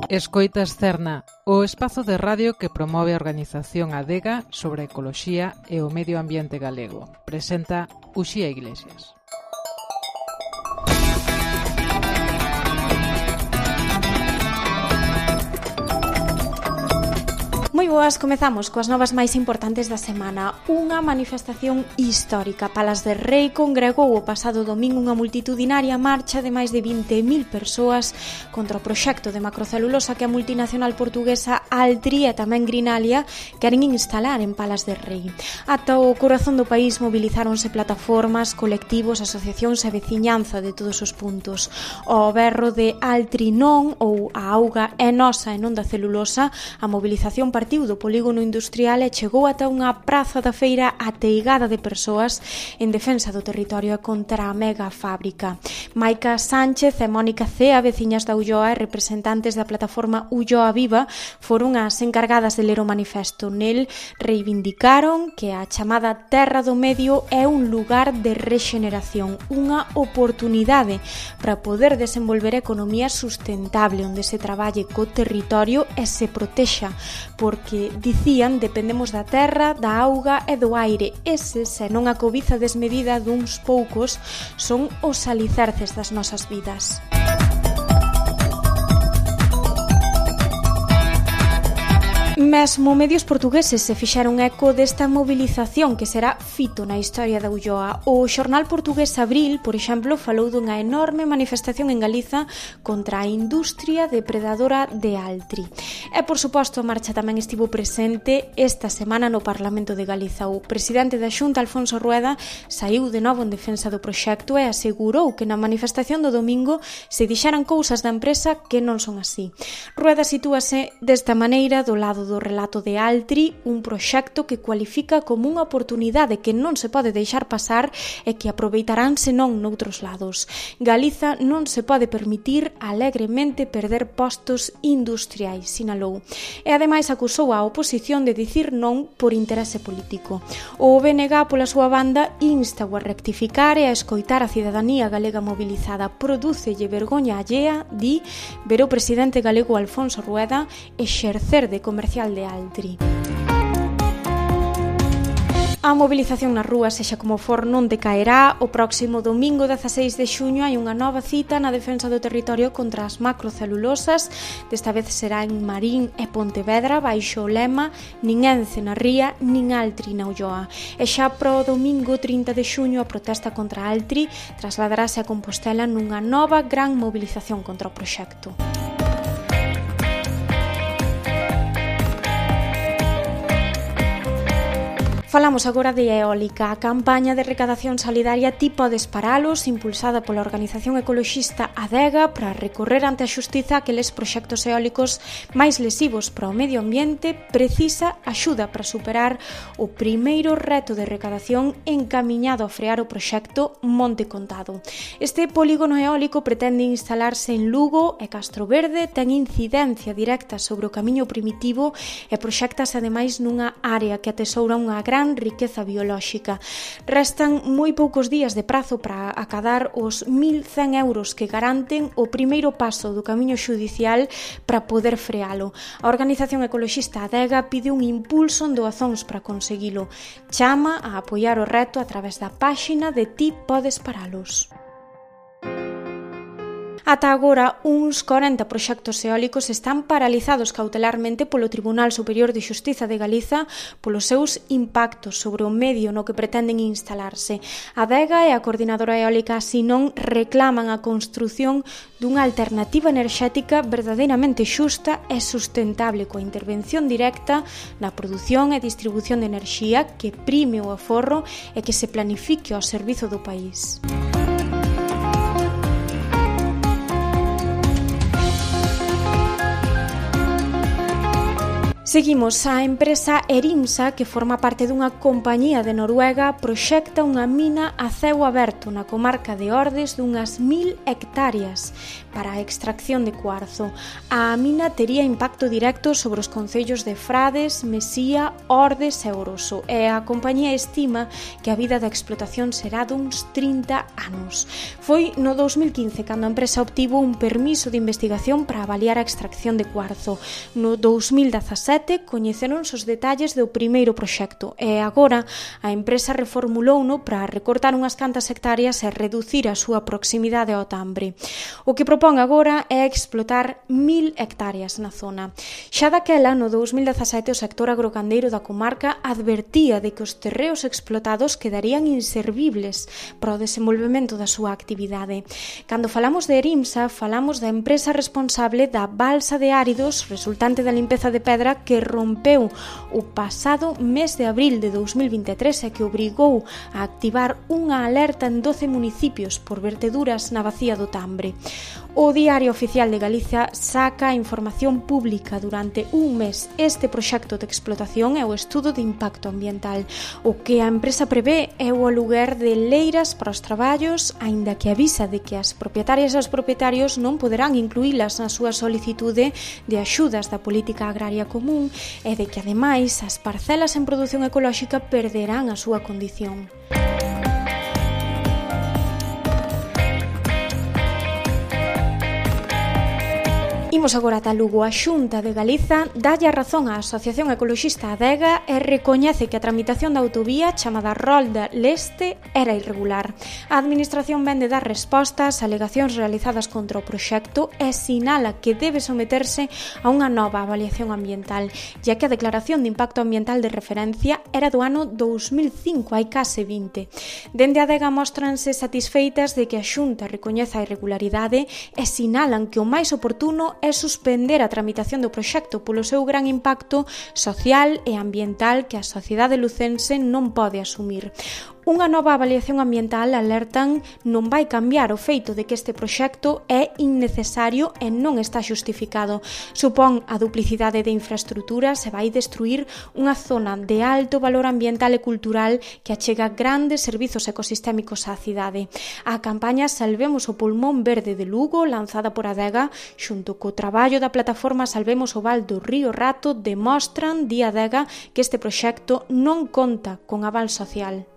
Escoitas Cerna, o espazo de radio que promove a organización Adega sobre a ecoloxía e o medio ambiente galego. Presenta Uxía Iglesias. Moi boas, comezamos coas novas máis importantes da semana. Unha manifestación histórica. Palas de Rei congregou o pasado domingo unha multitudinaria marcha de máis de 20.000 persoas contra o proxecto de macrocelulosa que a multinacional portuguesa Altri e tamén Greenalia queren instalar en Palas de Rei. Ata o corazón do país mobilizáronse plataformas, colectivos, asociacións e veciñanza de todos os puntos. O berro de Altri non, ou a auga é nosa e non da celulosa, a mobilización partiu do polígono industrial e chegou ata unha praza da feira ateigada de persoas en defensa do territorio e contra a mega fábrica. Maica Sánchez e Mónica Cea, veciñas da Ulloa e representantes da plataforma Ulloa Viva, foron as encargadas de ler o manifesto. Nel reivindicaron que a chamada Terra do Medio é un lugar de rexeneración, unha oportunidade para poder desenvolver a economía sustentable onde se traballe co territorio e se protexa, porque, dicían, dependemos da terra, da auga e do aire. Ese, se non a cobiza desmedida duns poucos, son os alicerces das nosas vidas. Mesmo medios portugueses se fixaron eco desta mobilización que será fito na historia da Ulloa. O xornal portugués Abril, por exemplo, falou dunha enorme manifestación en Galiza contra a industria depredadora de Altri. E, por suposto, a marcha tamén estivo presente esta semana no Parlamento de Galiza. O presidente da Xunta, Alfonso Rueda, saiu de novo en defensa do proxecto e asegurou que na manifestación do domingo se dixeran cousas da empresa que non son así. Rueda sitúase desta maneira do lado do relato de Altri, un proxecto que cualifica como unha oportunidade que non se pode deixar pasar e que aproveitarán senón noutros lados. Galiza non se pode permitir alegremente perder postos industriais, sinalou. E ademais acusou a oposición de dicir non por interese político. O BNG, pola súa banda, insta a rectificar e a escoitar a cidadanía galega mobilizada. Prodúcelle vergoña allea, di, ver o presidente galego Alfonso Rueda exercer de comercial de Altri. A mobilización nas rúas, sexa como for, non decaerá. O próximo domingo 16 de xuño hai unha nova cita na defensa do territorio contra as macrocelulosas. Desta vez será en Marín e Pontevedra, baixo o lema nin Ence na ría, nin Altri na Ulloa. E xa pro domingo 30 de xuño a protesta contra Altri trasladarase a Compostela nunha nova gran mobilización contra o proxecto. Falamos agora de eólica. A campaña de recadación solidaria Ti podes paralos, impulsada pola organización ecoloxista Adega para recorrer ante a xustiza aqueles proxectos eólicos máis lesivos para o medio ambiente, precisa axuda para superar o primeiro reto de recadación encamiñado a frear o proxecto Monte Contado. Este polígono eólico pretende instalarse en Lugo e Castroverde, ten incidencia directa sobre o camiño primitivo e proxectase ademais nunha área que atesoura unha gran riqueza biolóxica. Restan moi poucos días de prazo para acadar os 1.100 euros que garanten o primeiro paso do camiño xudicial para poder frealo. A organización ecoloxista Adega pide un impulso en doazóns para conseguilo. Chama a apoiar o reto a través da páxina de Ti podes paralos. Ata agora, uns 40 proxectos eólicos están paralizados cautelarmente polo Tribunal Superior de Xustiza de Galiza polos seus impactos sobre o medio no que pretenden instalarse. A Adega e a Coordinadora Eólica Sinón reclaman a construción dunha alternativa enerxética verdadeiramente xusta e sustentable coa intervención directa na produción e distribución de enerxía que prime o aforro e que se planifique ao servizo do país. Seguimos. A empresa Erimsa, que forma parte dunha compañía de Noruega, proxecta unha mina a ceo aberto na comarca de Ordes dunhas 1000 hectáreas para a extracción de cuarzo. A mina tería impacto directo sobre os concellos de Frades, Mesía, Ordes e Oroso, e a compañía estima que a vida da explotación será duns 30 anos. Foi no 2015 cando a empresa obtivo un permiso de investigación para avaliar a extracción de cuarzo. No 2017 coñeceronse os detalles do primeiro proxecto e agora a empresa reformulouno para recortar unhas cantas hectáreas e reducir a súa proximidade ao Tambre. O que propón agora é explotar 1000 hectáreas na zona. Xa daquela, no 2017, o sector agrogandeiro da comarca advertía de que os terreos explotados quedarían inservibles para o desenvolvemento da súa actividade. Cando falamos de Erimsa, falamos da empresa responsable da balsa de áridos resultante da limpeza de pedra que rompeu o pasado mes de abril de 2023 e que obrigou a activar unha alerta en 12 municipios por verteduras na bacía do Tambre. O Diario Oficial de Galicia saca a información pública durante un mes. Este proxecto de explotación é o estudo de impacto ambiental. O que a empresa prevé é o aluguer de leiras para os traballos, aínda que avisa de que as propietarias e os propietarios non poderán incluílas na súa solicitude de axudas da política agraria común e de que, ademais, as parcelas en produción ecolóxica perderán a súa condición. Imos agora ata Lugo. A Xunta de Galiza dalle a razón á Asociación Ecoloxista Adega e recoñece que a tramitación da autovía chamada Rolda Leste era irregular. A Administración vende dar resposta ás alegacións realizadas contra o proxecto e sinala que debe someterse a unha nova avaliación ambiental, ya que a declaración de impacto ambiental de referencia era do ano 2005, hai case 20. Dende Adega mostranse satisfeitas de que a Xunta recoñeza a irregularidade e sinalan que o máis oportuno é suspender a tramitación do proxecto polo seu gran impacto social e ambiental que a sociedade lucense non pode asumir. Unha nova avaliación ambiental, alertan, non vai cambiar o feito de que este proxecto é innecesario e non está xustificado. Supón a duplicidade de infraestruturas e vai destruir unha zona de alto valor ambiental e cultural que achega grandes servizos ecosistémicos á cidade. A campaña Salvemos o Pulmón Verde de Lugo, lanzada por Adega, xunto co traballo da plataforma Salvemos o Val do Río Rato, demostran, di Adega, que este proxecto non conta con aval social.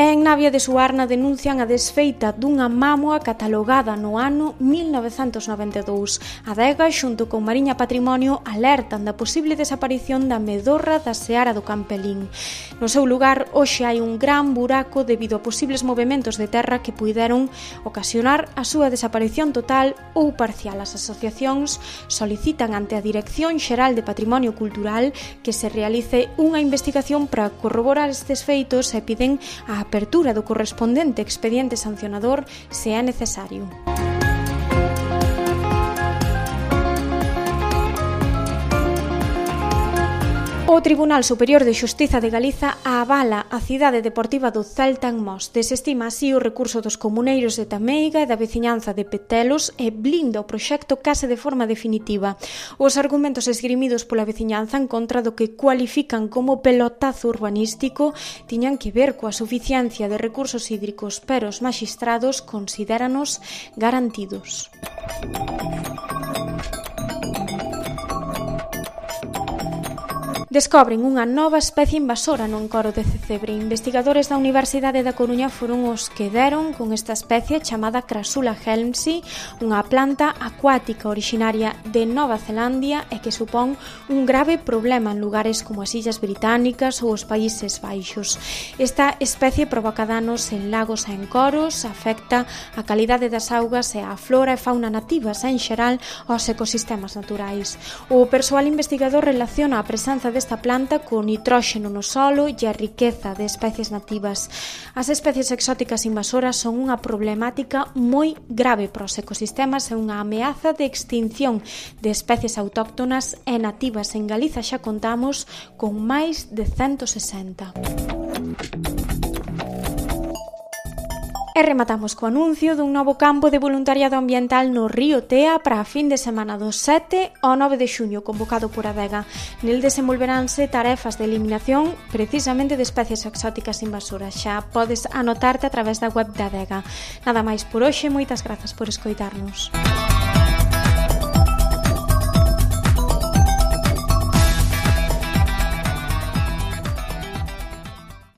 En Navia de Suarna denuncian a desfeita dunha mámoa catalogada no ano 1992. Adega, xunto con Mariña Patrimonio, alertan da posible desaparición da medorra da Seara do Campelín. No seu lugar, hoxe hai un gran buraco debido a posibles movementos de terra que puideron ocasionar a súa desaparición total ou parcial. As asociacións solicitan ante a Dirección Xeral de Patrimonio Cultural que se realice unha investigación para corroborar estes feitos e piden a apertura do correspondente expediente sancionador se é necesario. O Tribunal Superior de Xustiza de Galiza avala a cidade deportiva do Celta en Mos. Desestima así o recurso dos comuneiros de Tameiga e da veciñanza de Petelos e blinda o proxecto case de forma definitiva. Os argumentos esgrimidos pola veciñanza en contra do que cualifican como pelotazo urbanístico tiñan que ver coa suficiencia de recursos hídricos, pero os maxistrados considéranos garantidos. Descobren unha nova especie invasora no encoro de Cecebre. Investigadores da Universidade da Coruña foron os que deron con esta especie chamada Crassula helmsi, unha planta acuática originaria de Nova Zelandia e que supón un grave problema en lugares como as Illas Británicas ou os Países Baixos. Esta especie provoca danos en lagos e encoros, afecta a calidade das augas e a flora e fauna nativas en xeral aos ecosistemas naturais. O persoal investigador relaciona a presenza desta planta co nitróxeno no solo e a riqueza de especies nativas. As especies exóticas invasoras son unha problemática moi grave para os ecosistemas e unha ameaza de extinción de especies autóctonas e nativas. En Galiza xa contamos con máis de 160. E rematamos co anuncio dun novo campo de voluntariado ambiental no río Tea para a fin de semana do 7 ao 9 de xuño, convocado por Adega. Nel desenvolveránse tarefas de eliminación precisamente de especies exóticas invasoras. Xa podes anotarte a través da web da Adega. Nada máis por hoxe, moitas grazas por escoitarnos.